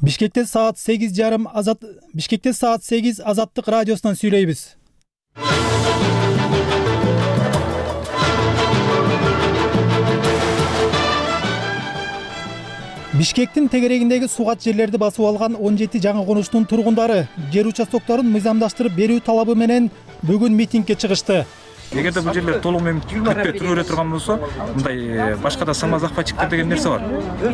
Бишкекте саат 8:30 Бишкекте саат 8 Азаттык радиосунан сүйлөйбүз. Бишкектин тегерегиндеги сугат жерлерди басып алган 17 жаңы конуштун тургундары жер участокторун мыйзамдаштырып берүү талабы менен бүгүн митингге чыгышты. Эгерде бул жерлер толугу менен бүтпөй түрө турган болсо, мындай башка да самозахватчиктер деген нерсе бар.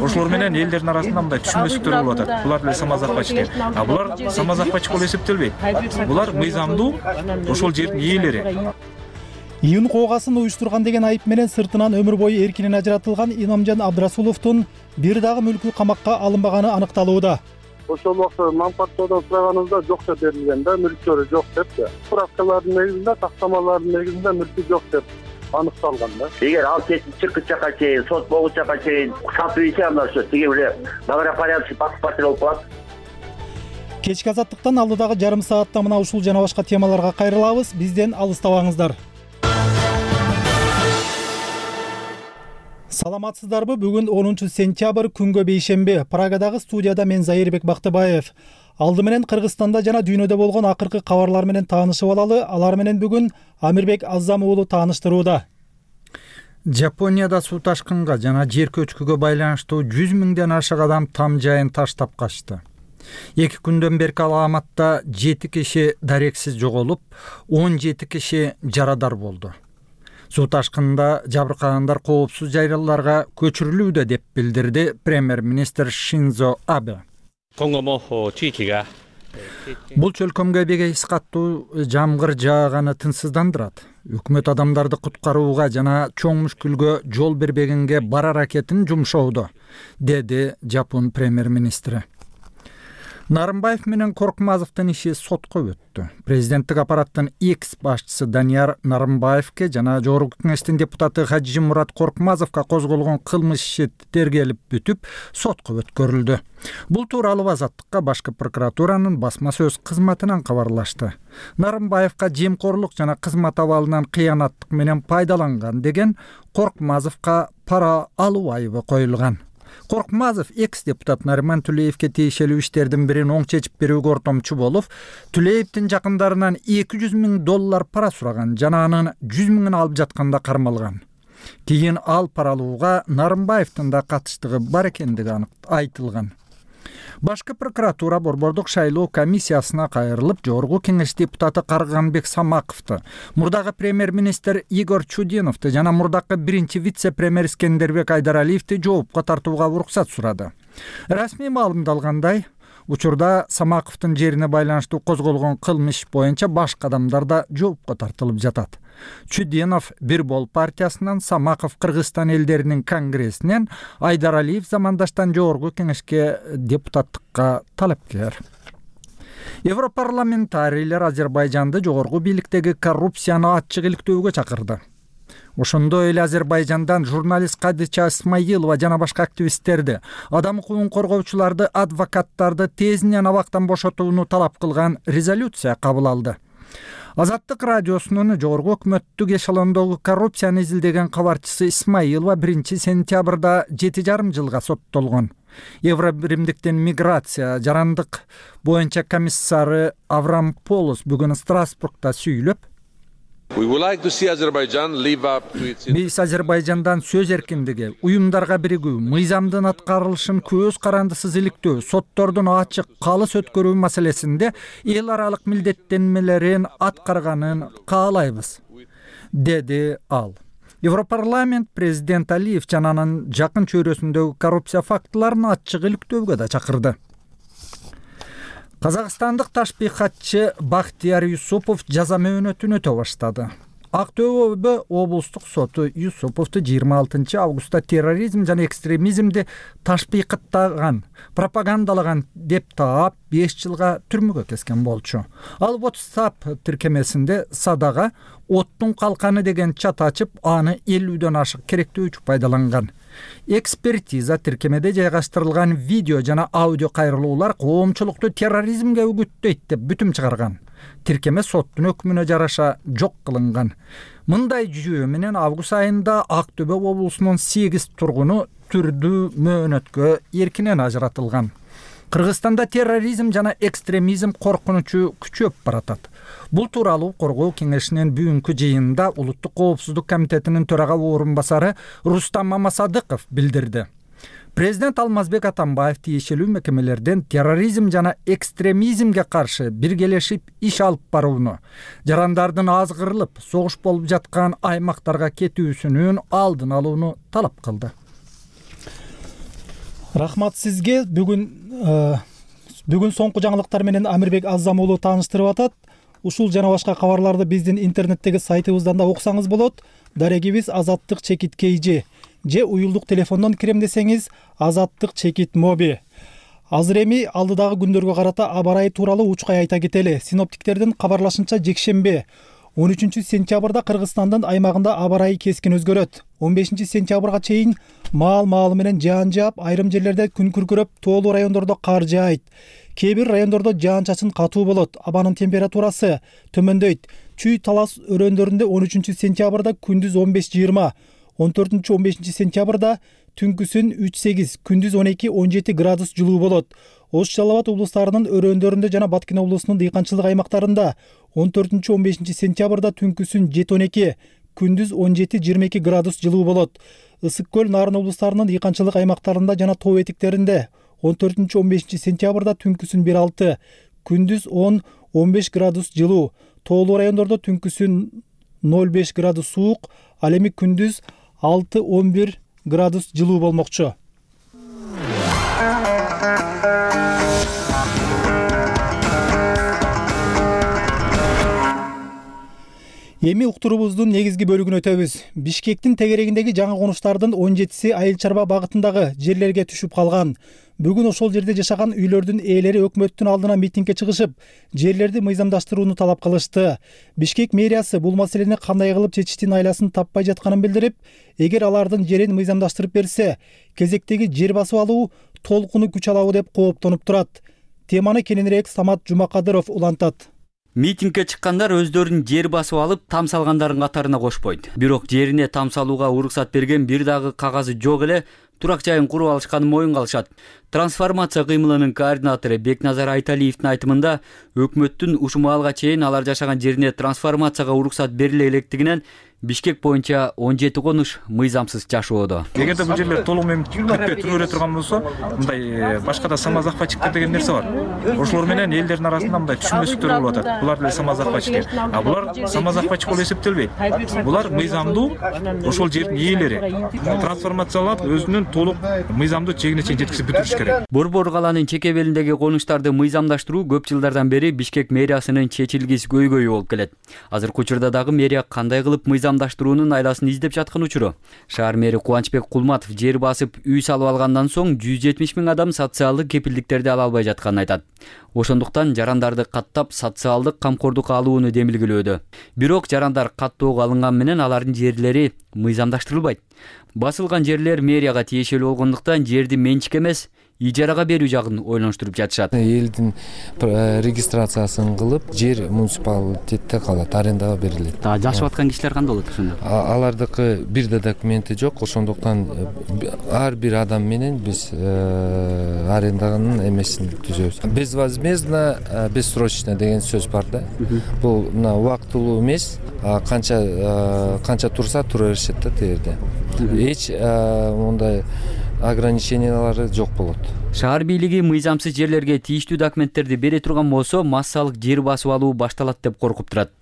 Ошолор менен элдердин арасында мындай түшүнбөстүктөр болуп атат. Булар деле самозахватчиктер. А булар самозахватчик болуп эсептелбейт. Булар мыйзамдуу ошол жердин ээлери. Июн коогасын уюштурган деген айып менен сыртынан өмүр бою эркинен ажыратылган Иномжан Абдрасуловдун бир дагы мүлкү камакка алынбаганы аныкталууда. Ошол убакта манфааттоодон сураганыбызда жок деп берилген да, мүлктөрү жок деп. Справкалардын негизинде, тактамалардын негизинде мүлкү жок деп аныкталган да. Эгер ал чыккычакка чейин, сот болгучакка чейин сатып ийсе, анда ошо тиги эле добропорядочный паспорт болуп калат. Кечки азаттыктан алдыдагы жарым саатта мына ушул жана башка темаларга кайрылабыз. Бизден алыстабаңыздар. Саламатсыздарбы? Бүгүн 10 сентябрь күнгө бейшемби. Прагадагы студияда мен Зайырбек Бактыбаев. Алды менен Кыргызстанда жана дүйнөдө болгон акыркы кабарлар менен таанышып алалы. Алар менен бүгүн Амирбек Азам уулу тааныштырууда. Жапонияда суу ташкынга жана жер көчкүгө байланыштуу 100 миңден ашык адам там жайын таштап качты. 2 күндөн берки аламатта 7 киши дарексиз жоголуп, 17 киши жарадар болду. Суу ташкында жабыркагандар коопсуз жайларга көчүрүлүүдө деп билдирди премьер-министр Шинзо Абе. Бул чөлкөмгө бегейс каттуу жамгыр жааганы тынчсыздандырат. Өкмөт адамдарды куткарууга жана чоң мүшкүлгө жол бербегенге бар аракетин жумшоодо, деди Жапон премьер-министри. Нарымбаев менен Коркмазовдун иши сотко өттү. Президенттик аппараттын экс башчысы Данияр Нарымбаевке жана Жогорку кеңештин депутаты Хажимурат Коркмазовго козголгон кылмыш иши тергелип бүтүп, сотко өткөрүлдү. Бул тууралуу Азаттыкка башкы прокуратуранын басма сөз кызматынан кабарлашты. Нарымбаевга жемкорлук жана кызмат абалынан кыянаттык менен пайдаланган деген Коркмазовго пара алуу айыбы коюлган. Коркмазов экс-депутат Нариман Тулеевке тиешелүү иштердин бирин оң чечип берүүгө ортомчу болуп, Тулеевдин жакындарынан $200 миң пара сураган жана анын 100 миңин алып жатканда кармалган. Кийин ал пара алууга Нарымбаевдин да катыштыгы бар экендиги айтылган. Башкы прокуратура Борбордук шайлоо комиссиясына кайрылып, Жогорку кеңеш депутаты Карганбек Самаковду, мурдагы премьер-министр Игорь Чудиновду жана мурдагы биринчи вице-премьер Искендербек Айдаралиевди жоопко тартууга уруксат сурады. Расмий маалымдалгандай, учурда Самаковдун жерине байланыштуу козголгон кылмыш боюнча башка адамдар да жоопко тартылып жатат. Чудинов Бирбол партиясынан, Самаков Кыргызстан элдеринин конгрессинен, Айдаралиев замандаштан Жогорку кеңешке депутаттыкка талапкер. Европарламентарийлер Азербайжанды жогорку бийликтеги коррупцияны ачык иликтөөгө чакырды. Ошондой эле Азербайжандан журналист Кадыча Исмаилова жана башка активисттерди, адам укугун коргоочуларды, адвокаттарды тезинен абактан бошотууну талап кылган резолюция кабыл алды. Азаттык радиосунун жогорку өкмөттүк эшелондогу коррупцияны изилдеген кабарчысы Исмаилова 1 сентябрда 7,5 жылга соттолгон. Евробиримдиктин миграция жарандык боюнча комиссары Аврам Полус бүгүн Страсбургда сүйлөп, биз Азербайжандан сөз эркиндиги, уюмдарга биригүү, мыйзамдын аткарылышын көз карандысыз иликтөө, соттордун ачык, калыс өткөрүү маселесинде эл аралык милдеттенмелерин аткарганын каалайбыз, деди ал. Европарламент президент Алиев жана анын жакын чөйрөсүндөгү коррупция фактыларын ачык иликтөөгө да чакырды. Казакстандык ташбийкатчы Бактияр Юсупов жаза мөөнөтүн өтө баштады. Актөбө облустук соту Юсуповду 26 августта терроризм жана экстремизмди ташбийкаттаган, пропагандалаган деп таап 5 жылга түрмөгө кескен болчу. Ал WhatsApp тиркемесинде садага оттун калканы деген чат ачып, аны 50дөн ашык керектөөчү пайдаланган. Экспертиза тиркемеде жайгаштырылган видео жана аудио кайрылуулар коомчулукту терроризмге үгүттөйт деп бүтүм чыгарган. Тиркеме соттун өкмүнө жараша жок кылынган. Мындай жүйө менен август айында Актөбө облусунун 8 тургуну түрдүү мөөнөткө эркинен ажыратылган. Кыргызстанда терроризм жана экстремизм коркунучу күчөп баратат. Бул тууралуу Коргоо кеңешинин бүгүнкү жыйынында Улуттук коопсуздук комитетинин төрага орун басары Рустам Мамасадыков билдирди. Президент Алмазбек Атамбаев тиешелүү мекемелерден терроризм жана экстремизмге каршы биргелешип иш алып барууну, жарандардын азгырылып, согуш болуп жаткан аймактарга кетүүсүнүн алдын алууну талап кылды. Рахмат сизге. Бүгүн соңку жаңылыктар менен Амирбек Азам уулу тааныштырып атат. Ушул жана башка кабарларды биздин интернеттеги сайтыбыздан да окусаңыз болот. Дарегибиз Азаттык чекит KG же уюлдук телефондон кирем десеңиз Азаттык чекит моби. Азыр эми алдыдагы күндөргө карата аба ырайы тууралуу учкай айта кетели. Синоптиктердин кабарлашынча жекшемби 13 сентябрда Кыргызстандын аймагында аба ырайы кескин өзгөрөт. 15 сентябрга чейин маал менен жаан жаап, айрым жерлерде күн күркүрөп, тоолуу райондордо кар жаайт. Кээ бир райондордо жаан-чачын катуу болот. Абанын температурасы төмөндөйт. Чүй талас өрөөндөрүндө 13 сентябрда күндүз 15-20, 14-15 сентябрда түнкүсүн 3-8, күндүз 12-17 градус жылуу болот. Ош Жалал Абад облустарынын өрөөндөрүндө жана Баткен облусунун дыйканчылык аймактарында 14-15 сентябрда түнкүсүн 7-12, күндүз 17-22 градус жылуу болот. Ысык көл Нарын облустарынын дыйканчылык аймактарында жана тоо этектеринде 14-15 сентябрда түнкүсүн 1-6, күндүз 10-15 градус жылуу. Тоолуу райондордо түнкүсүн 0-5 градус суук, ал эми күндүз 6-11 градус жылуу болмокчу. Эми уктуруубуздун негизги бөлүгүнө өтөбүз. Бишкектин тегерегиндеги жаңы конуштардын 17си Айыл Чарба багытындагы жерлерге түшүп калган. Бүгүн ошол жерде жашаган үйлөрдүн ээлери өкмөттүн алдына митингге чыгышып, жерлерди мыйзамдаштырууну талап кылышты. Бишкек мэриясы бул маселени кандай кылып чечиштин айласын таппай жатканын билдирип, эгер алардын жерин мыйзамдаштырып берсе, кезектеги жер басып алуу толкуну күч алабы деп кооптонуп турат. Теманы кененирээк Самат Жумакадыров улантат. Митингге чыккандар өздөрүнүн жер басып алып, там салгандардын катарына кошпойт. Бирок жерине там салууга уруксат берген бир дагы кагазы жок эле турак жайын куруп алышканын моюнга алышат. Трансформация кыймылынын координатору Бекназар Айталиевдин айтымында, өкмөттүн ушул маалга чейин алар жашаган жерине трансформацияга уруксат бериле электигинен Бишкек боюнча 17 конуш мыйзамсыз жашоодо. Эгерде бул жерлер толук менен бүтпөй туруу бере турган болсо, мындай башка да самозахватчиктер деген нерсе бар. Ошолор менен элдердин арасында мындай түшүнбөстүктөр болуп атат. Булар деле самозахватчиктер. А булар самозахватчик болуп эсептелбейт. Булар мыйзамдуу ошол жердин ээлери. Трансформациялап өзүнүн толук мыйзамдуу чегине чейин жеткизип бүтүрүш керек. Борбор калаанын чек белиндеги конуштарды мыйзамдаштыруу көп жылдардан бери Бишкек мэриясынын чечилгис көйгөйү болуп келет. Азыркы учурда дагы мэрия кандай кылып мыйзамдаштыруунун айласын издеп жаткан учуру. Шаар мэри Кубанычбек Кулматов жер басып үй салып алгандан соң 170 000 адам социалдык кепилдиктерди ала албай жатканын айтат. Ошондуктан жарандарды каттап социалдык камкордукка алууну демилгелөөдө. Бирок жарандар каттоого алынган менен алардын жерлери мыйзамдаштырылбайт. Басылган жерлер мэрияга тиешелүү болгондуктан жерди менчик эмес, ижарага берүү жагын ойлонуштуруп жатышат. Элдин регистрациясын кылып, жер муниципалитетте калат, арендага берилет. Жашап аткан кишилер кандай болот ошондо? Алардыкы бир да документи жок, ошондуктан ар бир адам менен биз аренданын эмесин түзөбүз. Безвозмездно, бессрочно деген сөз бар да. Бул мына убактылуу эмес, канча турса тура беришет да тегерде. Эч мындай ограничениялары жок болот. Шаар бийлиги мыйзамсыз жерлерге тийиштүү документтерди бере турган болсо, массалык жер басып алуу башталат деп коркуп турат.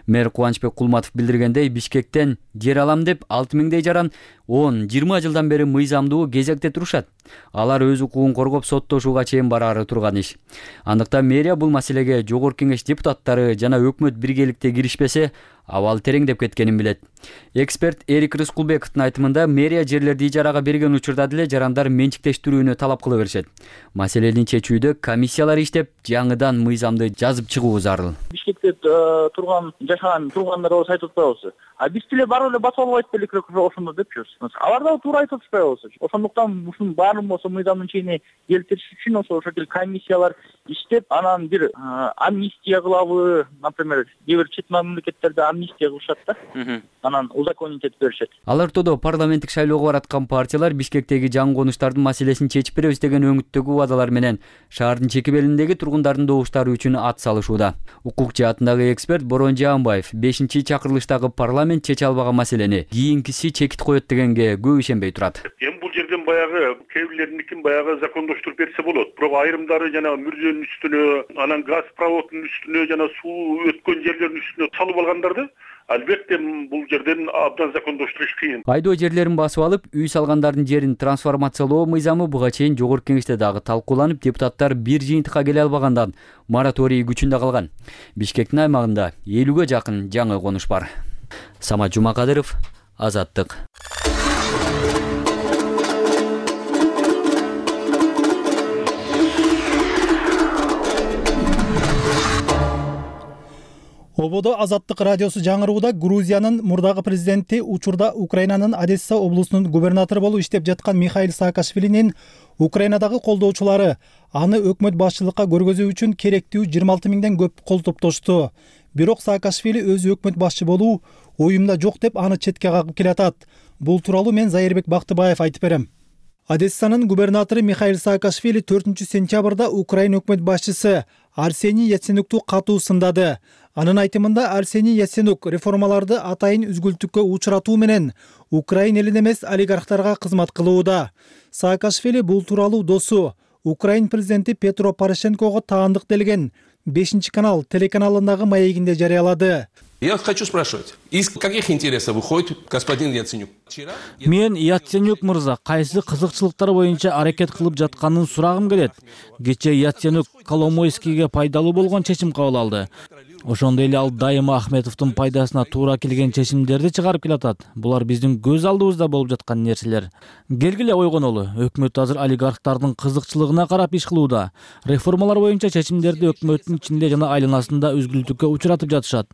Мэр Кубанычбек Кулматов билдиргендей, Бишкектен жер алам деп 6000дей жаран 10-20 жылдан бери мыйзамдуу кезекте турушат. Алар өз укугун коргоп соттошууга чейин бараары турган иш. Андыктан мэрия бул маселеге жогорку кеңеш депутаттары жана өкмөт биргеликте киришпесе, абал тереңдеп кеткенин билет. Эксперт Эрик Рыскулбековдун айтымында, мэрия жерлерди ижарага берген учурда деле жарандар менчиктештирүүнү талап кыла беришет. Маселени чечүүдө комиссиялар иштеп, жаңыдан мыйзамды жазып чыгуу зарыл. Бишкекте жашаган тургандар болсо айтып атпайбызбы? Биз деле барып эле басып албайт белек ошондо депчүбүз. Алар да туура айтып атпайбызбы? Ошондуктан ушунун баарын болсо мыйзамдын чегине келтириш үчүн ошол комиссиялар иштеп, анан бир амнистия кылабы, например, кээ бир чет мамлекеттерде амнистия кылышат да, анан узаконить этип беришет. Ал ортодо парламенттик шайлоого бараткан партиялар Бишкектеги жаңы конуштардын маселесин чечип беребиз деген өңүттөгү убадалар менен шаардын чеки белиндеги тургундардын добуштары үчүн ат салышууда. Укук жаатындагы эксперт Борон Жаанбаев 5-чакырылыштагы парламент чече албаган маселени кийинкиси чекит коет дегенге көп ишенбей турат. Эми бул жерден баягы кээ бирлеринин баягы закондоштуруп берсе болот. Бирок айрымдары жана мүрзөнүн үстүнө, анан газ проводунун үстүнө жана суу өткөн жерлердин үстүнө салып алгандарды албетте бул жерден абдан закондоштуруш кыйын. Айдоо жерлерин басып алып, үй салгандардын жерин трансформациялоо мыйзамы буга чейин жогорку кеңеште дагы талкууланып, депутаттар бир жыйынтыкка келе албагандан мораторий күчүндө калган. Бишкектин аймагында 50ге жакын жаңы конуш бар. Самат Жумакадыров, Азаттык. Ободо Азаттык радиосу жаңырууда Грузиянын мурдагы президенти учурда Украинанын Одесса облусунун губернатору болуп иштеп жаткан Михаил Саакашвилинин Украинадагы колдоочулары аны өкмөт башчылыкка көргөзүү үчүн керектүү 26 миңден көп кол топтошту. Бирок Саакашвили өзү өкмөт башчы болуу оюмда жок деп аны четке кагып келатат. Бул тууралуу мен Зайырбек Бактыбаев айтып берем. Одессанын губернатору Михаил Саакашвили 4-сентябрда Украин өкмөт башчысы Арсений Яценюкту катуу сындады. Анын айтымында Арсений Яценюк реформаларды атайын үзгүлтүккө учуратуу менен Украин элине эмес олигархтарга кызмат кылууда. Саакашвили бул тууралуу досу Украин президенти Петро Порошенкого таандык делген 5-канал телеканалындагы маегинде жарыялады. Я хочу спрашивать, из каких интересов выходит господин Яценюк? Мен Яценюк мырза кайсы кызыкчылыктар боюнча аракет кылып жатканын сурагым келет. Кечээ Яценюк Коломойскийге пайдалуу болгон чечим кабыл алды. Ошондой эле ал дайыма Ахметовдун пайдасына туура келген чечимдерди чыгарып келатат. Булар биздин көз алдыбызда болуп жаткан нерселер. Келгиле ойгонолу, өкмөт азыр олигархтардын кызыкчылыгына карап иш кылууда. Реформалар боюнча чечимдерди өкмөттүн ичинде жана айланасында үзгүлтүккө учуратып жатышат.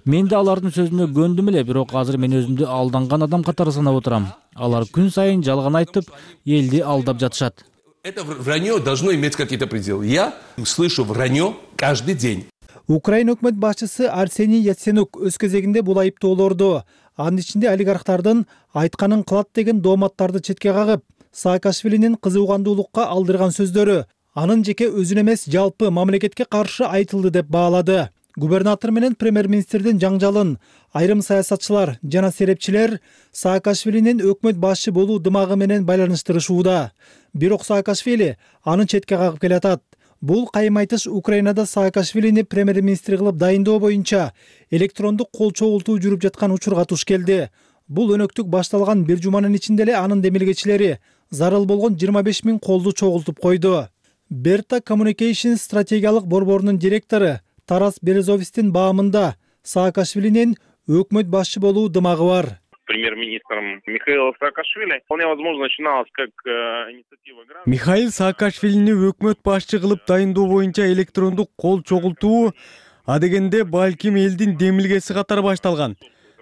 Мен да алардын сөзүнө көндүм эле, бирок азыр мен өзүмдү алданган адам катары санап отурам. Алар күн сайын жалган айтып, элди алдап жатышат. Это вранье должно иметь какие-то пределы. Я слышу вранье каждый день. Украин өкмөт башчысы Арсений Яценюк өз кезегинде бул айыптоолорду, анын ичинде олигархтардын айтканын кылат деген дооматтарды четке кагып, Саакашвилинин кызыгандуулукка алдырган сөздөрү анын жеке өзүнө эмес, жалпы мамлекетке каршы айтылды деп баалады. Губернатор менен премьер-министрдин жаңжалын айрым саясатчылар жана серепчилер Саакашвилинин өкмөт башчы болуу дымагы менен байланыштырышууда. Бирок Саакашвили аны четке кагып келатат. Бул кайым айтыш Украинада Саакашвилини премьер-министр кылып дайындоо боюнча электрондук кол чогултуу жүрүп жаткан учурга туш келди. Бул өнөктүк башталган бир жуманын ичинде эле анын демилгечилери зарыл болгон 25 миң колду чогултуп койду. Берта Communication стратегиялык борборунун директору Тарас Березовистин баамында Саакашвилинин өкмөт башчы болуу дымагы бар. Премьер-министром Михаила Саакашвили вполне возможно начиналась как инициатива граждан. Михаил Саакашвилини өкмөт башчы кылып дайындоо боюнча электрондук кол чогултуу адегенде балким элдин демилгеси катары башталган.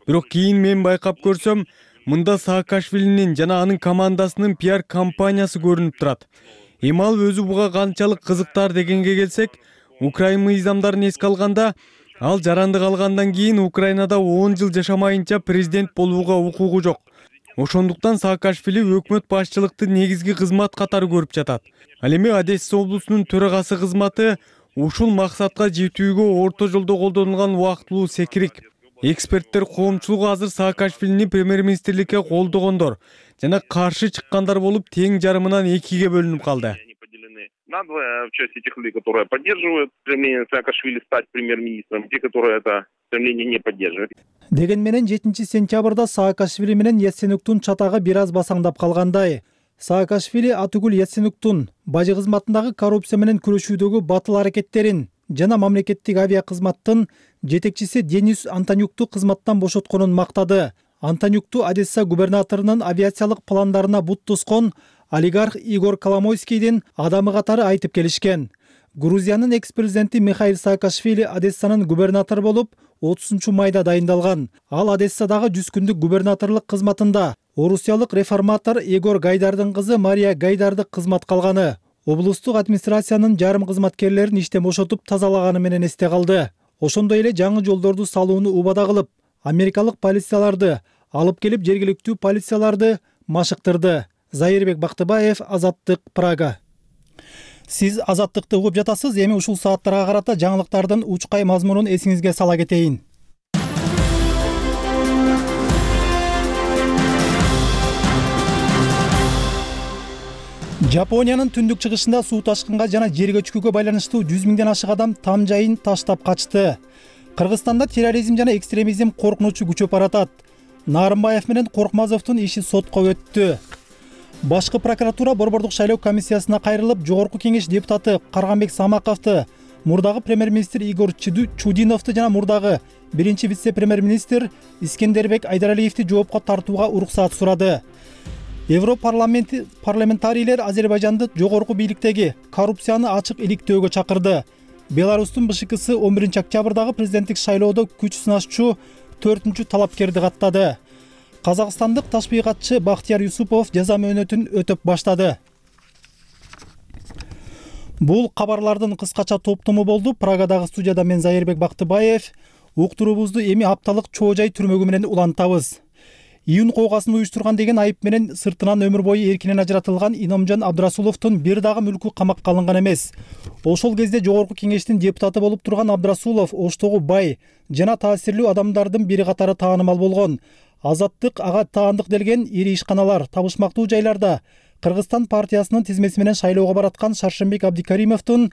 Бирок кийин мен байкап көрсөм, мында Саакашвилинин жана анын командасынын пиар компаниясы көрүнүп турат. Эми ал өзү буга канчалык кызыктар дегенге келсек, Украин мыйзамдарын эске алганда, ал жарандык алгандан кийин Украинада 10 жыл жашамайынча президент болууга укугу жок. Ошондуктан Саакашвили өкмөт башчылыкты негизги кызмат катары көрүп жатат. Ал эми Одесса облусунун төрагасы кызматы ушул максатка жетүүгө орто жолдо колдонулган убактылуу секирик. Эксперттер коомчулугу азыр Саакашвилини премьер-министрликке колдогондор жана каршы чыккандар болуп тең жарымынан 2-ге бөлүнүп калды. Надвое в части тех людей, которые поддерживают стремление Саакашвили стать премьер-министром, те, которые это стремление не поддерживают. Деген менен 7-сентябрда Саакашвили менен Яценюктун чатагы бир аз басаңдап калгандай. Саакашвили атүгүл Яценюктун бажы кызматындагы коррупция менен күрөшүүдөгү батыл аракеттерин жана мамлекеттик авиа кызматтын жетекчиси Денис Антонюкту кызматтан бошотконун мактады. Антонюкту Одесса губернаторунун авиациялык пландарына бут тоскон олигарх Игорь Коломойскийдин адамы катары айтып келишкен. Грузиянын экс-президенти Михаил Саакашвили Одессанын губернатору болуп 30-майда дайындалган. Ал Одессадагы 100 күндүк губернаторлук кызматында орусиялык реформатор Егор Гайдардын кызы Мария Гайдарды кызмат калганы облустук администрациянын жарым кызматкерлерин иштен бошотуп тазалаганы менен эсте калды. ошондой эле жаңы жолдорду салууну убада кылып, америкалык полицияларды алып келип жергиликтүү полицияларды машыктырды. Зайырбек Бактыбаев, Азаттык, Прага. Сиз Азаттыкты угуп жатасыз. Эми ушул сааттарга карата жаңылыктардын учкай мазмунун эсиңизге сала кетейин. Жапониянын түндүк чыгышында суу ташкынга жана жер көчкүгө байланыштуу 100 миңден ашык адам там жайын таштап качты. Кыргызстанда терроризм жана экстремизм коркунучу күчөп баратат. Нарымбаев менен Коркмазовдун иши сотко өттү. Башкы прокуратура Борбордук шайлоо комиссиясына кайрылып, жогорку кеңеш депутаты Карганбек Самаковду, мурдагы премьер-министр Игорь Чудиновду жана мурдагы биринчи вице-премьер-министр Искендербек Айдаралиевди жоопко тартууга уруксат сурады. Парламентарийлер Азербайжанды жогорку бийликтеги коррупцияны ачык иликтөөгө чакырды. Беларустун БШКсы 11 октябрдагы президенттик шайлоодо күч сынашчу 4-чү талапкерди каттады. Казакстандык ташбыйкатчы Бактияр Юсупов жаза мөөнөтүн өтөп баштады. Бул кабарлардын кыскача топтому болду. Прагадагы студияда мен Зайырбек Бактыбаев. Уктуруубузду эми апталык чоо жай түрмөгү менен улантабыз. Июн коогасын уюштурган деген айып менен сыртынан өмүр бою эркинен ажыратылган Иномжон Абдрасуловдун бир дагы мүлкү камакка алынган эмес. Ошол кезде жогорку кеңештин депутаты болуп турган Абдрасулов Оштогу бай жана таасирлүү адамдардын бири катары таанымал болгон. Азаттык ага таандык делген ири ишканалар, табышмактуу жайларда Кыргызстан партиясынын тизмеси менен шайлоого бараткан Шаршембек Абдикаримовдун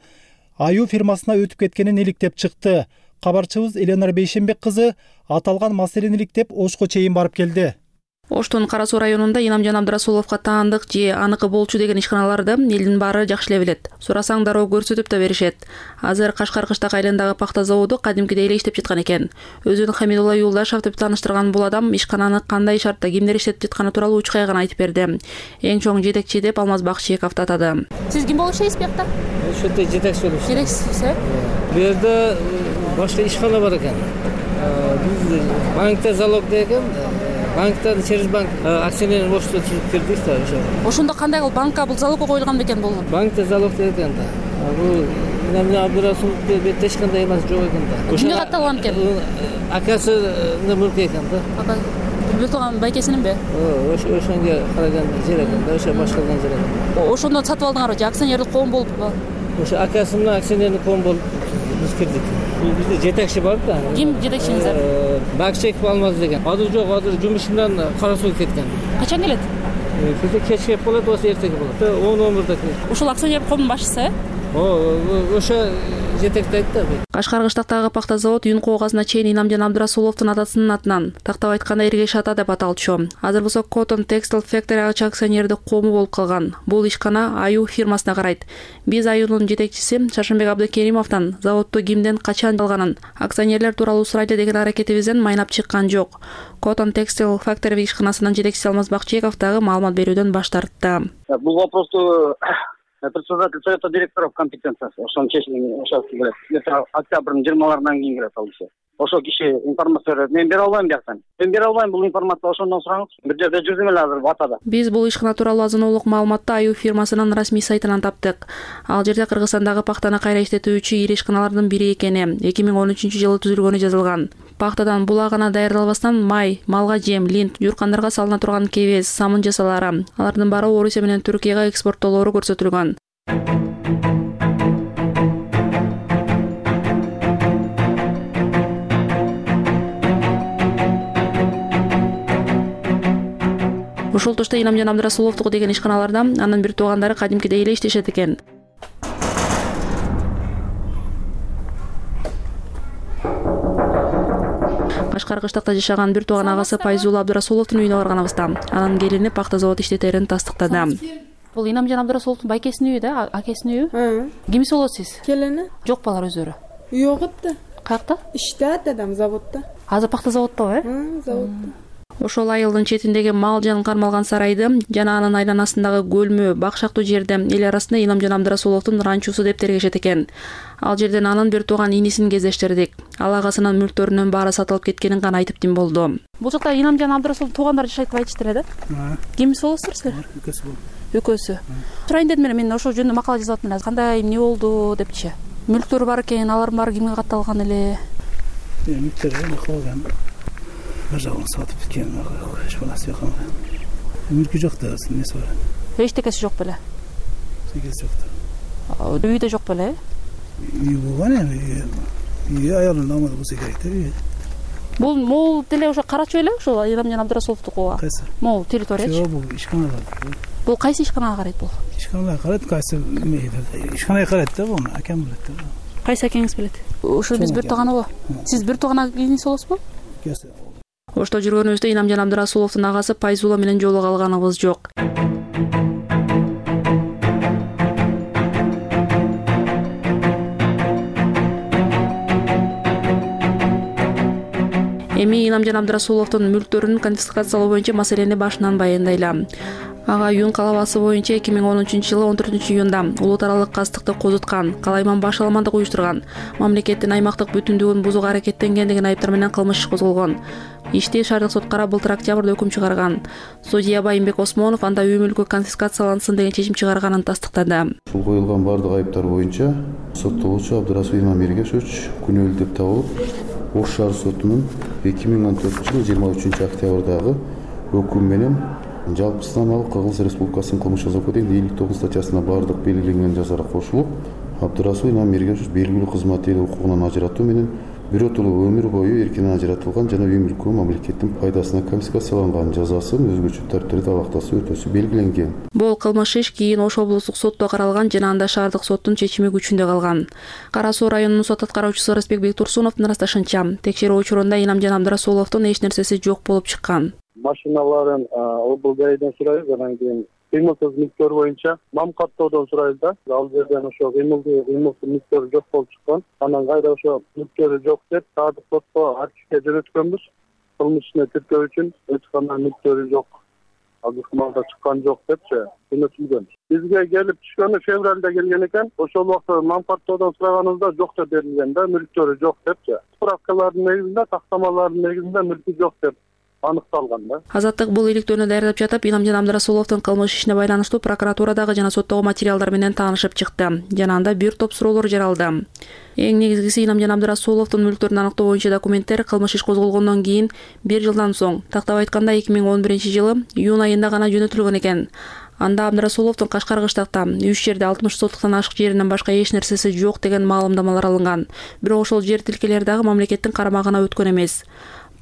аю фирмасына өтүп кеткенин иликтеп чыкты. Кабарчыбыз Эленар Бейшембек кызы аталган маселени иликтеп Ошко чейин барып келди. Оштун Кара Суу районунда Инамжан Абдрасуловго таандык же аныкы болчу деген ишканаларды элдин баары жакшы эле билет. Сурасаң дароо көрсөтүп да беришет. Азыр Кашкар Кыштак айылындагы пахта заводу кадимкидей эле иштеп жаткан экен. Өзүн Хамидулла Юлдашев деп тааныштырган бул адам ишкананы кандай шартта кимдер иштетип жатканы тууралуу учкай гана айтып берди. Эң чоң жетекчи деп Алмаз Бакчыековду атады. Сиз ким болуп иштейсиз биякта? Ошол жерде жетекчи болуп иштейм. Жетекчисиз, э? Бу жерде башка ишкана бар экен. Биз банкта залог деген банктан через банк акционерный общество түзүп кирдик да ошо. Ошондо кандай кылып банкка бул залог коюлган бекен бул? Банкта залог деген да. Бул Инамжан Абдрасуловду бетте эч кандай эмасы жок экен да. Кимге катталган экен? Акасынын мүлкү экен да. Бул турган байкесининби? Ошонго караган жер экен да, ошо башкарган жер экен. Ошондо сатып алдыңарбы же акционерлик коом болуппу? Ошо акасынын акционерный коом болуп биз кирдик. Бизде жетекчи бар да. Ким жетекчиңиз? Бакчыеков Алмаз деген. Азыр жок, азыр жумуш менен Кара Сууга кеткен. Качан келет? Бизде кечке болот, болсо эртеге болот. 10-11-де келет. Ушул акционерлик коомдун башчысы, э? Ошо жетектейт да. Кашкар Кыштактагы пахта завод июнь коогасына чейин Инамжан Абдрасуловдун атасынын атынан, тактап айтканда Эргеш ата деп аталчу. Азыр болсо Cotton Textile Factory ачык акционердик коому болуп калган. Бул ишкана Аю фирмасына карайт. Биз Аюнун жетекчиси Шаршембек Абдикеримовдон заводду кимден качан алганын, акционерлер тууралуу сурайлы деген аракетибизден майнап чыккан жок. Cotton Textile Factory ишканасынын жетекчиси Алмаз Бакчыеков дагы маалымат берүүдөн баш тартты. Бул вопросту председатель совета директоров компетенциясы. Ошонун чечими ошол келет. Это октябрдын 20-ларынан кийин келет ал иши. Ошол киши информация берет. Мен бере албайм бияктан. Мен бере албайм бул информация, ошондон сураңыз. Бир жерде жүрдүм эле азыр батада. Биз бул ишкана тууралуу азын-оолук маалыматты Аю фирмасынын расмий сайтынан таптык. Ал жерде Кыргызстандагы пахтаны кайра иштетүүчү ири ишканалардын бири экени 2013-жылы түзүлгөнү жазылган. Пахтадан була гана даярдалбастан май, малга жем, линт, жууркандарга салына турган кебез, самын жасалары, алардын баары Орусия менен Түркияга экспорттоолору көрсөтүлгөн. Ушул тушта Инамжан Абдрасуловдуку деген ишканаларда анын бир туугандары кадимкидей эле иштешет экен. Кашкар Кыштакта жашаган бир тууган агасы Пайзулла Абдрасуловдун үйүнө барганыбызда анын келини пахта завод иштетерин тастыктады. Бул Инамжан Абдрасуловдун байкесинин үйү да, акесинин үйү. Кимиси болот сиз? Келини. Жок балар өздөрү. Жок да. Каякта? Иштейт адам заводдо. Азыр пахта заводдо, Заводдо. Ошол айылдын четиндеги мал жан кармалган сарайды жана анын айланасындагы көлмө, бакшактуу жерде эл арасында Инамжан Абдрасуловдун ранчосу деп тергешет экен. Ал жерден анын бир тууган инисин кездештирдик. Ал агасынын мүлктөрүнүн баары сатылып кеткенин гана айтып тим болду. Бул жакта Инамжан Абдрасулов туугандар жашайт деп айтыштыр да? Кимиси болосуздар силер? Экөөсү. Сурайын дедим мен ошол жөнүндө макала жазып атмын азыр. Кандай эмне болду депчи. Мүлктөр бар экен, алардын баары кимге катталган эле? Мүлктөрү калган. Бир жагын сатып кеткен. Эч нерсе жок. Мүлкү жок да, нерсе бар. Эчтекеси жок беле? Эчтекеси жок. Үйдө жок беле? Үй болгон эми. Үй аялын намазы болсо керек да. Бул деле ошо карачу эле, ошо Инамжан Абдрасуловдукуга. Кайсы? Могул территория. Жок, бул ишканага. Бул кайсы ишканага карайт бул? Ишканага карайт, кайсы ишканага карайт да, буну акам билет да. Кайсы акеңиз билет? Ошо биз бир тууганыбы? Сиз бир тууган акеңиз болосузбу? Ошто жүргөнүбүздө Инамжан Абдрасуловдун агасы Пайзула менен жолуга алганыбыз жок. Эми Инамжан Абдрасуловдун мүлктөрүн конфискациялоо боюнча маселени башынан баяндайлам. Ага Юн калабасы боюнча 2013-жылы 14-июнда улут аралык кастыкты козуткан, калайман башаламандык уюштурган, мамлекеттин аймактык бүтүндүгүн бузууга аракеттенгендигин айыптар менен кылмыш иш козголгон. Ишти шаардык соткара былтыр октябрда өкүм чыгарган. Судья Байымбек Осмонов анда үй мүлкү конфискациялансын деген чечим чыгарганын тастыктады. Ушул коюлган бардык айыптар боюнча соттолуучу Абдрасул Имамиргешович күнөөлүү деп табылып, Ош шаар сотунун 2014-жылы 23-октябрдагы өкүм менен жалпы станалык Кыргыз Республикасынын кылмыш жаза кодексинин 59 статьясына бардык белгиленген жазара кошулуп, Абдрасул Имамиргешович белгилүү кызмат эли укугунан ажыратуу менен биротолуу өмүр бою эркинен ажыратылган жана үй мүлкү мамлекеттин пайдасына конфискацияланган жазасын өзгөчө тартипте талактасуу өтөсү белгиленген. Бул кылмыш иш кийин Ош облустук сотто каралган жана анда шаардык соттун чечими күчүндө калган. Кара Суу районунун сот аткаруучусу Рысбек Турсуновдун ырасташынча, текшерүү учурунда Инамжан Абдрасуловдун эч нерсеси жок болуп чыккан. Машиналарын облгайдан сурайбыз, анан кийин кыймылсыз мүлктөр боюнча мам каттоодон сурайбыз да. Ал жерден ошо кыймылсыз мүлктөр жок болуп чыккан. Анан кайра ошо мүлктөрү жок деп шаардык сотко архивге жөнөткөнбүз. Кылмыш ишине тиркөө үчүн өткөндө мүлктөрү жок. Азыркы маалда чыккан жок депчи жөнөтүлгөн. Бизге келип түшкөнү февралда келген экен. Ошол убакта мам каттоодон сураганыбызда жок деп берилген да, мүлктөрү жок депчи. Справкалардын негизинде, тактамалардын негизинде мүлкү жок деп аныкталган да. Азаттык бул иликтөөнү даярдап жатып, Инамжан Абдрасуловдун кылмыш ишине байланыштуу прокуратурадагы жана соттогу материалдар менен таанышып чыкты. Жана анда бир топ суроолор жаралды. Эң негизгиси Инамжан Абдрасуловдун мүлктөрүн аныктоо боюнча документтер кылмыш иш козголгондон кийин 1 жылдан соң, тактап айтканда 2011-жылы июнь айында гана жөнөтүлгөн экен. Анда Абдрасуловдун Кашкар кыштакта 3 жерде 60 сотуктан ашык жеринен башка эч нерсеси жок деген маалымдамалар алынган. Бирок ошол жер тилкелери дагы мамлекеттин карамагына өткөн эмес.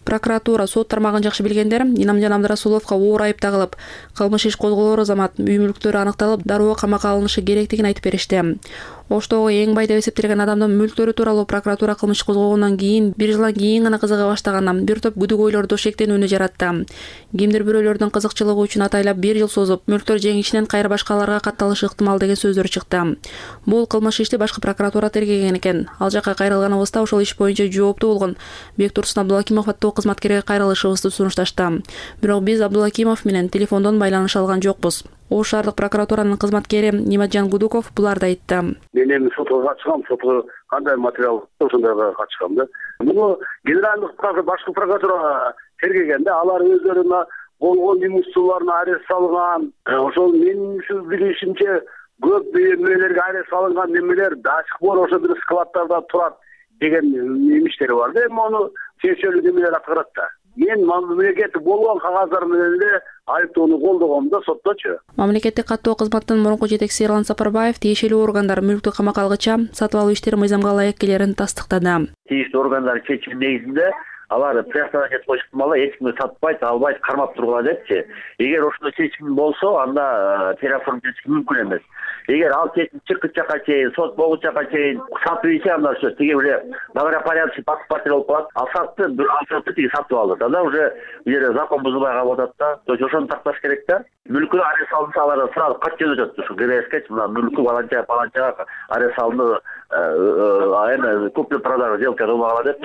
Прокуратура сот тармагын жакшы билгендер Инамжан Абдрасуловго оор айып тагылып, кылмыш иш козголоор замат үй мүлктөрү аныкталып, дароо камакка алынышы керектигин айтып беришти. Оштогу эң бай деп эсептелген адамдын мүлктөрү тууралуу прокуратура кылмыш козгогондон кийин 1 жылдан кийин гана кызыга баштаган бир топ күдүгөйлөрдү шектенүүнү жаратты. Кимдир бирөөлөрдүн кызыкчылыгы үчүн атайлап 1 жыл созуп, мүлктөр жеңишинен кайра башкаларга катталышы ыктымал деген сөздөр чыкты. Бул кылмыш ишти башкы прокуратура тергеген экен. Ал жакка кайрылганыбызда ошол иш боюнча жооптуу болгон Бектурсун Абдулакимов аттуу кызматкерге кайрылышыбызды сунушташты. Бирок биз Абдулакимов менен телефондон байланыша алган жокпуз. Ош шаардык прокуратуранын кызматкери Нимаджан Гудуков буларды айтты. Мен эми сотко катышкам, сотко кандай материал ошондойго катышкам да. Муну генералдык башкы прокуратура тергеген да, алар өздөрүнө болгон имуществолоруна арест салган. Ошол менин билишимче көп эмелерге арест салынган немелер до сих пор ошо бир складтарда турат деген имиштери бар да. Эми аны тиешелүү немелер аткарат да. Мен мамлекеттик болгон кагаздар менен эле айыптоону колдогом да сотточу. Мамлекеттик каттоо кызматтын мурунку жетекчиси Эрлан Сапарбаев тиешелүү органдар мүлктү камакка алгыча сатып алуу иштери мыйзамга ылайык келерин тастыктады. Тиештүү органдар чечими негизинде алар приостановать этип коюш ыктымалы, эч кимди сатпайт, албайт, кармап тургула депчи. Эгер ошондой чечим болсо, анда телефон чечим мүмкүн эмес. Эгер ал чечим чыккычакка чейин, сот болгучакка чейин сатып ийсе, анда ошо тиги эле добропорядочный покупатель болуп калат. Ал сатты тиги сатып алды. Анда уже бир закон бузулбай калып атат да. То есть ошону такташ керек да. Мүлкү арест алынса, алар сразу кат жөнөтөт. Ушу ГРСке мына мүлкү баланчага арест алынды, эми купли-продажа сделка кылмагыла деп.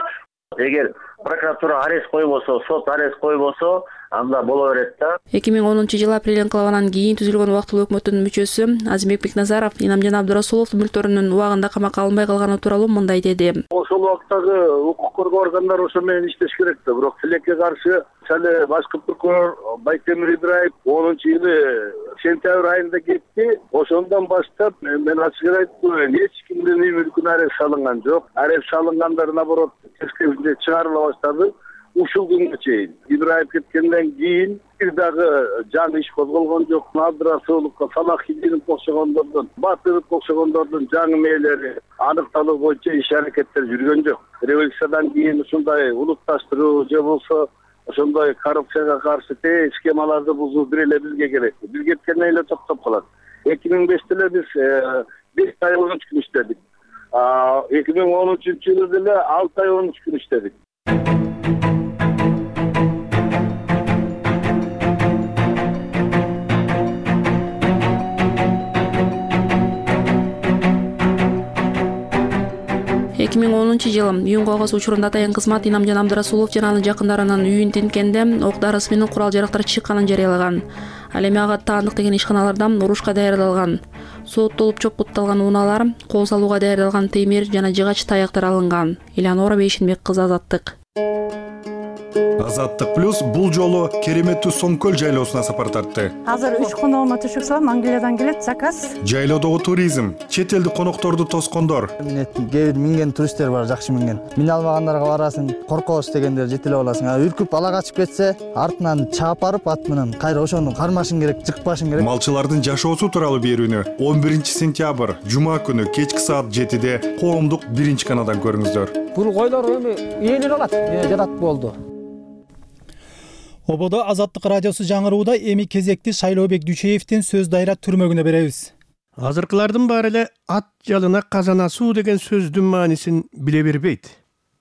Эгер прокуратура арест койбосо, сот арест койбосо, анда боло берет да. 2010-жылы апрель инкылабынан кийин түзүлгөн убактылуу өкмөттүн мүчөсү Азимбек Бекназаров Инамжан Абдрасулов мүлктөрүнүн убагында камакка алынбай калганы тууралуу мындай деди. Ош ошол убактагы укук коргоо органдары ошо менен иштеш керек да. Бирок тилекке каршы мисалы башкы прокурор Байтемир Ибраев 10-жылы сентябрь айында кетти. Ошондон баштап мен ачык айтып коеюн, эч кимдин үй мүлкүнө арест салынган жок. Арест салынгандар наоборот тескерисинче чыгарыла баштады. Ушул күнгө чейин Ибраев кеткенден кийин бир дагы жаңы иш козголгон жок. Абдрасуловго, Салахиддиновго окшогондордун, Батыровго окшогондордун жаңы мээлери аныкталуу боюнча иш аракеттер жүргөн жок. Революциядан кийин ушундай улутташтыруу же болбосо ошондой коррупцияга каршы схемаларды бузуу бир эле бизге керек. Биз кеткенден эле токтоп калат. 2005-те эле биз 5 ай 13 күн иштедик. 2013-жылы деле 6 ай 13 күн иштедик. жылы үйүн койгос учурунда атайын кызмат Инамжан Абдрасулов жана анын жакындарынын үйүн тинткенде ок дарысы менен курал жарактар чыкканын жарыялаган. Ал эми ага таандык деген ишканалардан урушка даярдалган, сооттолуп чокутталган унаалар, кол салууга даярдалган темир жана жыгач таяктар алынган. Элеонора Бейшенбек кызы, Азаттык. Азаттык плюс бул жолу кереметтүү Соңкөл жайлоосуна сапар тартты. Азыр 3 коногума түшүк салам, Англиядан келет заказ. Жайлоодогу туризм, чет элдик конокторду тоскондор. Кээ бир минген туристтер бар, жакшы минген. Мине алмагандарга барасың, коркобуз дегендер жетелеп аласың. Үркүп ала качып кетсе, артынан чаап барып ат менен кайра ошону кармашың керек, жыкпашың керек. Малчылардын жашоосу тууралуу берүүнү 11-сентябрь жума күнү кечки саат 7-де коомдук 1-каналдан көрүңүздөр. Бул койлор эми ээлер алат, жатат болду. Ободо Азаттык радиосу жаңырууда эми кезекти Шайлообек Дүйчеевдин сөз дайра түрмөгүнө беребиз. Азыркылардын баары эле ат жалына казан асуу деген сөздүн маанисин биле бербейт.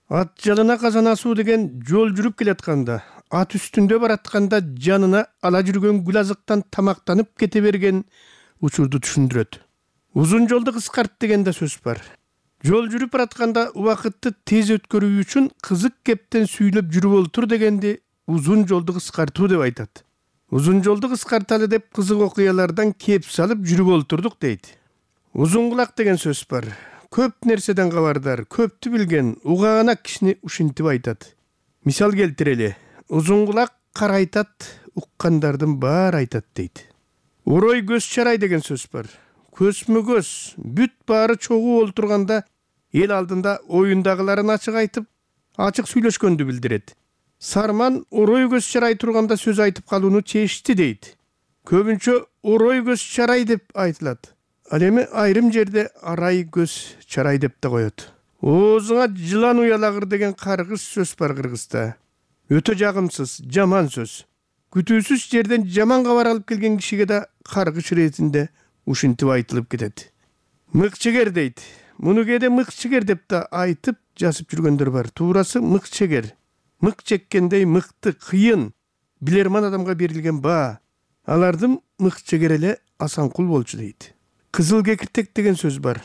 Ат жалына казан асуу деген жол жүрүп келатканда, ат үстүндө баратканда жанына ала жүргөн гүл азыктан тамактанып кете берген учурду түшүндүрөт. Узун жолду кыскарт деген да сөз бар. Жол жүрүп баратканда убакытты тез өткөрүү үчүн кызык кептен сүйлөп жүрүп олтур дегенди узун жолду кыскартуу деп айтат. Узун жолду кыскарталы деп кызык окуялардан кеп салып жүрүп олтурдук дейт. Узун кулак деген сөз бар. Көп нерседен кабардар, көптү билген, угаанак кишини ушинтип айтат. Мисал келтирели. Узун кулак карайтат, уккандардын баары айтат дейт. Урой көз чарай деген сөз бар. Көзмө көз, бүт баары чогуу олтурганда эл алдында оюндагыларын ачык айтып, ачык сүйлөшкөндү билдирет. Сарман орой көз чарай турганда сөз айтып калууну чечти дейт. Көбүнчө орой көз чарай деп айтылат. Ал эми айрым жерде арай көз чарай деп да коет. Оозуңа жылан уялагыр деген каргыш сөз бар Кыргызда. Өтө жагымсыз, жаман сөз. Күтүүсүз жерден жаман кабар алып келген кишиге да каргыш иретинде ушинтип айтылып кетет. Мыкчегер дейт. Муну кээде мыкчегер деп да айтып жазып жүргөндөр бар. Туурасы мыкчегер. Мык чеккендей мыкты, кыйын, билерман адамга берилген баа. Алардын мыкчегер эле Асанкул болчу дейт. Кызыл кекиртек деген сөз бар.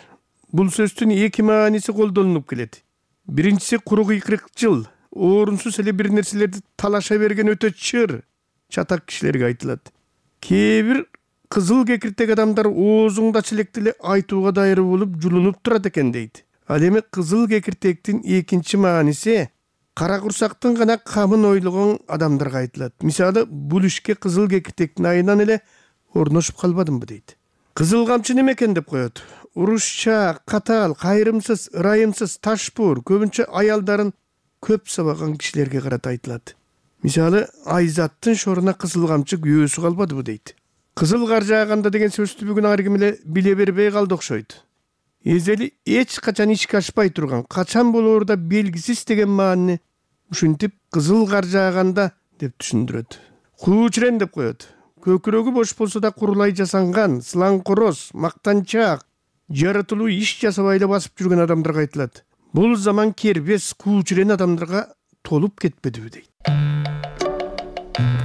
Бул сөздүн эки мааниси колдонулуп келет. Биринчиси куру кыйкырыкчыл, орунсуз эле бир нерселерди талаша берген өтө чыр, чатак кишилерге айтылат. Кээ бир кызыл кекиртек адамдар оозуңда челекти эле айтууга дайыр болуп жулунуп турат экен дейт. Ал эми кызыл кекиртектин экинчи мааниси кара курсактын гана камын ойлогон адамдарга айтылат. Мисалы, бул ишке кызыл кекиртектин айынан эле орношуп калбадымбы дейт. Кызыл камчы неме экен деп коет. Урушча, катаал, кайрымсыз, ырайымсыз, ташпуур, көбүнчө аялдарын көп сабаган кишилерге карата айтылат. Мисалы, Айзаттын шоруна кызыл камчы күйөөсү калбадыбы дейт. Кызыл кар жааганда деген сөздү бүгүн ар ким эле биле бербей калды окшойт. Эзели эч качан ишке ашпай турган, качан болоор да белгисиз деген маани ушинтип кызыл кар жааганда деп түшүндүрөт. Куучурен деп коет. Көкүрөгү бош болсо да курулай жасанган, сылаңкороз, мактанчаак, жаратылуу иш жасабай эле басып жүргөн адамдарга айтылат. Бул заман кербес, куучурен адамдарга толуп кетпедиби дейт.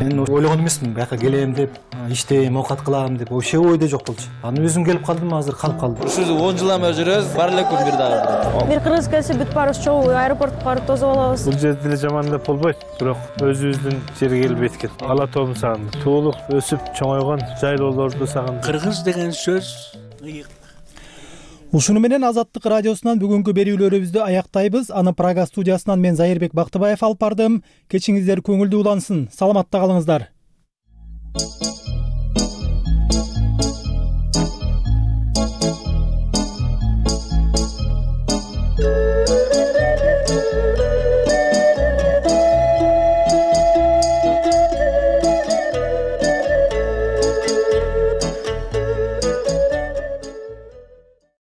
Мен ойлогон эмесмин, бияка келем деп, иштейм, оокат кылам деп, вообще ойдо жок болчу. Аны өзүм келип калдым, азыр калып калдым. Ушул 10 жылдан бери жүрөбүз, бар эле күн бир дагы. Бир кыргыз келсе бүт баарыбыз чогуу аэропортко барып тосуп алабыз. Бул жерде деле жаман деп болбойт, бирок өзүбүздүн жерге келип эткет. Ала тоомду сагындым. Туулуп, өсүп, чоңойгон жайлоолорду сагындым. Кыргыз деген сөз Ушуну менен Азаттык радиосунан бүгүнкү берүүлөрүбүздү аяктайбыз. Аны Прага студиясынан мен Зайырбек Бактыбаев алып бардым. Кечиңиздер көңүлдүү улансын. Саламатта калыңыздар.